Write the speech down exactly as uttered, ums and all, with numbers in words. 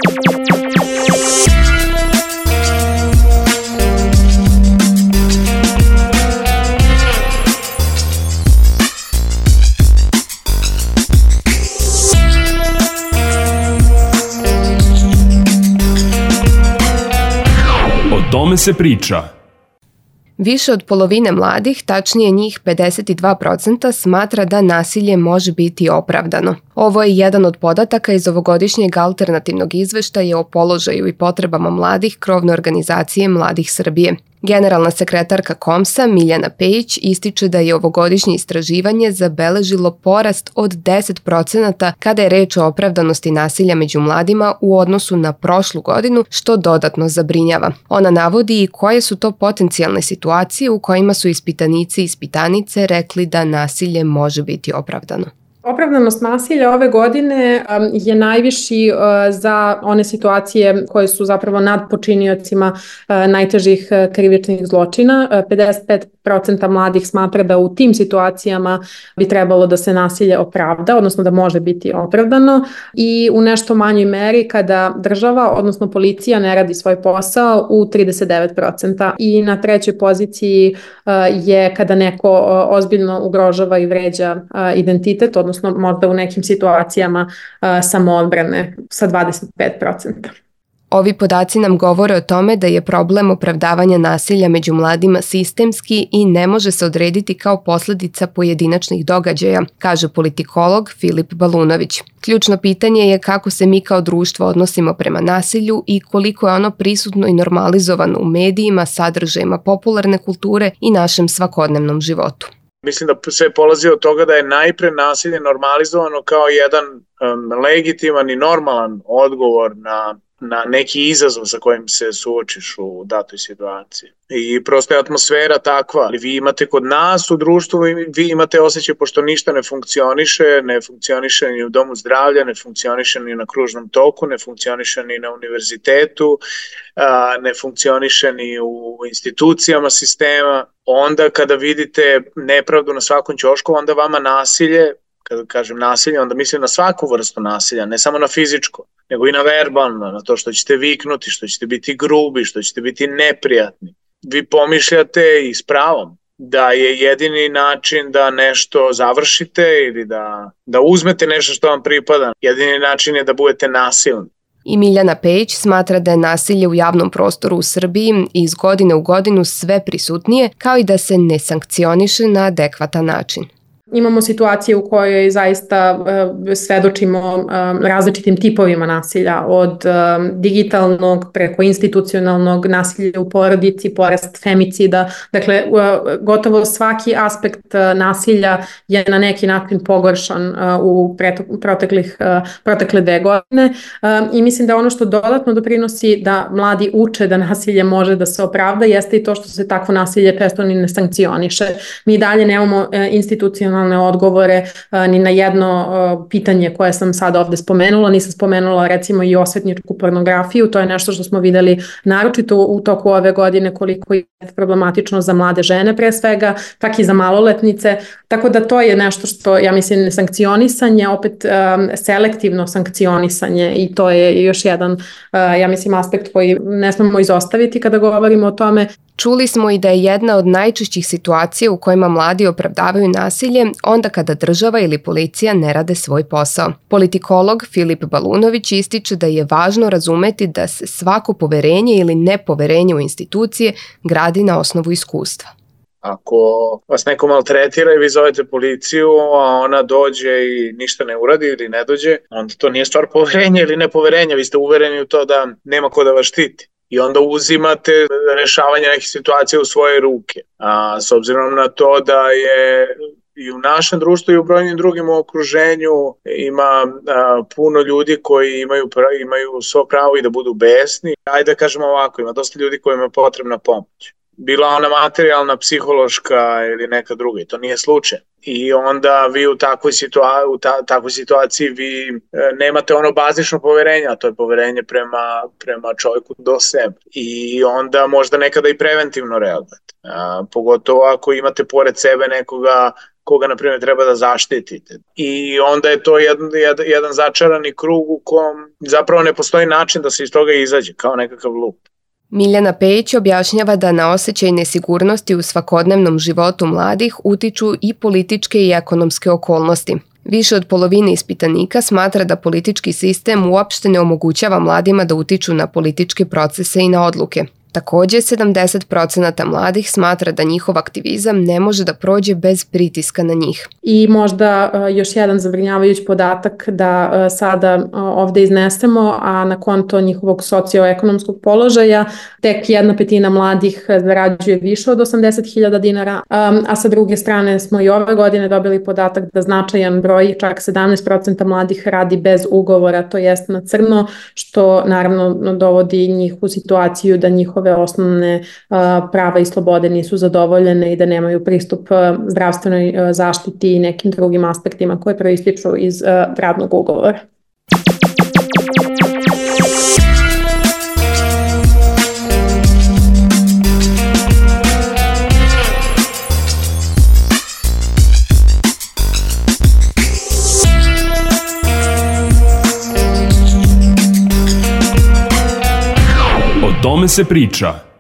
O tome se priča. Više od polovine mladih, tačnije njih pedeset dva posto, smatra da nasilje može biti opravdano. Ovo je jedan od podataka iz ovogodišnjeg alternativnog izveštaja o položaju i potrebama mladih krovne organizacije Mladih Srbije. Generalna sekretarka KOMS-a Miljana Pejić ističe da je ovogodišnje istraživanje zabeležilo porast od deset procenata kada je reč o opravdanosti nasilja među mladima u odnosu na prošlu godinu, što dodatno zabrinjava. Ona navodi i koje su to potencijalne situacije u kojima su ispitanici i ispitanice rekli da nasilje može biti opravdano. Opravdanost nasilja ove godine je najviši za one situacije koje su zapravo nad počiniocima najtežih krivičnih zločina. pedeset pet posto mladih smatra da u tim situacijama bi trebalo da se nasilje opravda, odnosno da može biti opravdano, i u nešto manjoj meri kada država, odnosno policija, ne radi svoj posao u trideset devet posto. I na trećoj poziciji je kada neko ozbiljno ugrožava i vređa identitet, odnosno odnosno možda u nekim situacijama uh, samoodbrane sa dvadeset pet posto. Ovi podaci nam govore o tome da je problem opravdavanja nasilja među mladima sistemski i ne može se odrediti kao posledica pojedinačnih događaja, kaže politikolog Filip Balunović. Ključno pitanje je kako se mi kao društvo odnosimo prema nasilju i koliko je ono prisutno i normalizovano u medijima, sadržajima popularne kulture i našem svakodnevnom životu. Mislim da sve polazi od toga da je najpre nasilje normalizovano kao jedan um, legitiman i normalan odgovor na, na neki izazov sa kojim se suočiš u datoj situaciji. I prosto je atmosfera takva. Vi imate kod nas u društvu, vi imate osjećaj pošto ništa ne funkcioniše, ne funkcioniše ni u domu zdravlja, ne funkcioniše ni na kružnom toku, ne funkcioniše ni na univerzitetu, ne funkcioniše ni u institucijama sistema. Onda kada vidite nepravdu na svakom ćošku, onda vama nasilje, kada kažem nasilje, onda mislim na svaku vrstu nasilja, ne samo na fizičko, nego i na verbalno, na to što ćete viknuti, što ćete biti grubi, što ćete biti neprijatni. Vi pomišljate i s pravom da je jedini način da nešto završite ili da, da uzmete nešto što vam pripada. Jedini način je da budete nasilni. I Miljana Pejić smatra da je nasilje u javnom prostoru u Srbiji iz godine u godinu sve prisutnije, kao i da se ne sankcioniše na adekvatan način. Imamo situacije u kojoj zaista uh, svedočimo uh, različitim tipovima nasilja, od uh, digitalnog preko institucionalnog, nasilja u porodici, porast femicida. Dakle, uh, gotovo svaki aspekt uh, nasilja je na neki način pogoršan uh, u preto- proteklih, uh, protekle dve godine uh, i mislim da ono što dodatno doprinosi da mladi uče da nasilje može da se opravda jeste i to što se takvo nasilje često ni ne sankcioniše. Mi dalje nemamo uh, institucionalno odgovore uh, ni na jedno uh, pitanje koje sam sad ovde spomenula. Nisam spomenula recimo i osvetničku pornografiju, to je nešto što smo videli naročito u toku ove godine koliko je problematično za mlade žene pre svega, tak i za maloletnice, tako da to je nešto što ja mislim sankcionisanje, opet um, selektivno sankcionisanje i to je još jedan uh, ja mislim aspekt koji ne smemo izostaviti kada govorimo o tome. Čuli smo i da je jedna od najčešćih situacija u kojima mladi opravdavaju nasilje onda kada država ili policija ne rade svoj posao. Politikolog Filip Balunović ističe da je važno razumeti da se svako poverenje ili nepoverenje u institucije gradi na osnovu iskustva. Ako vas neko maltretira i vi zovete policiju, a ona dođe i ništa ne uradi ili ne dođe, onda to nije stvar poverenja ili nepoverenja, vi ste uvereni u to da nema ko da vas štiti. I onda uzimate rešavanje nekih situacija u svoje ruke. A s obzirom na to da je i u našem društvu i u brojnim drugim u okruženju ima a, puno ljudi koji imaju, imaju svo pravo i da budu besni. Ajde da kažemo ovako, ima dosta ljudi kojima je potrebna pomoć. Bila ona materijalna, psihološka ili neka druga, i to nije slučaj. I onda vi u takvoj, situa- u ta- takvoj situaciji vi e, nemate ono bazično poverenje, a to je poverenje prema, prema čovjeku do sebe. I onda možda nekada i preventivno reagujete. A, pogotovo ako imate pored sebe nekoga koga, na primjer, treba da zaštitite. I onda je to jedan, jedan, jedan začarani krug u kom zapravo ne postoji način da se iz toga izađe, kao nekakav lup. Miljana Pejić objašnjava da na osjećaj nesigurnosti u svakodnevnom životu mladih utiču i političke i ekonomske okolnosti. Više od polovine ispitanika smatra da politički sistem uopšte ne omogućava mladima da utiču na političke procese i na odluke. Takođe, sedamdeset procenata mladih smatra da njihov aktivizam ne može da prođe bez pritiska na njih. I možda još jedan zabrinjavajući podatak da sada ovde iznesemo, a na konto njihovog socioekonomskog položaja tek jedna petina mladih zarađuje više od osamdeset hiljada dinara, a sa druge strane smo i ove godine dobili podatak da značajan broj, čak sedamnaest procenata mladih radi bez ugovora, to jest na crno, što naravno dovodi njih u situaciju da njihov osnovne prava i slobode nisu zadovoljene i da nemaju pristup zdravstvenoj zaštiti i nekim drugim aspektima koje proističu iz radnog ugovora. O tome se priča.